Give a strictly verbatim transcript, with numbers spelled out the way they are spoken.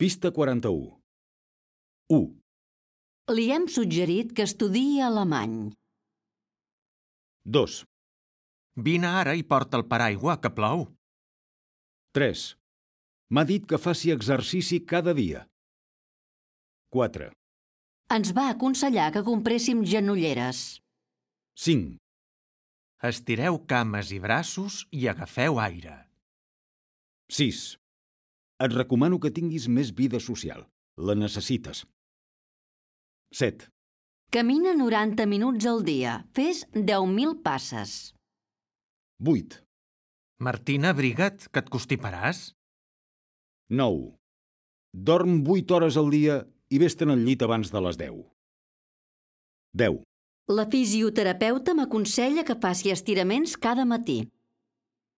Pista quaranta-u. u. Li hem suggerit que estudiï alemany. dos. Vine ara i porta el paraigua, que plou. tres. M'ha dit que faci exercici cada dia. quatre. Ens va aconsellar que compréssim genolleres. cinc. Estireu cames i braços i agafeu aire. sis. Et recomano que tinguis més vida social. La necessites. set. Camina noranta minuts al dia. Fes deu mil passes. vuit. Martina, abriga't, que et constiparàs. nou. Dorm vuit hores al dia i vés-te'n al llit abans de les deu. deu. La fisioterapeuta m'aconsella que faci estiraments cada matí.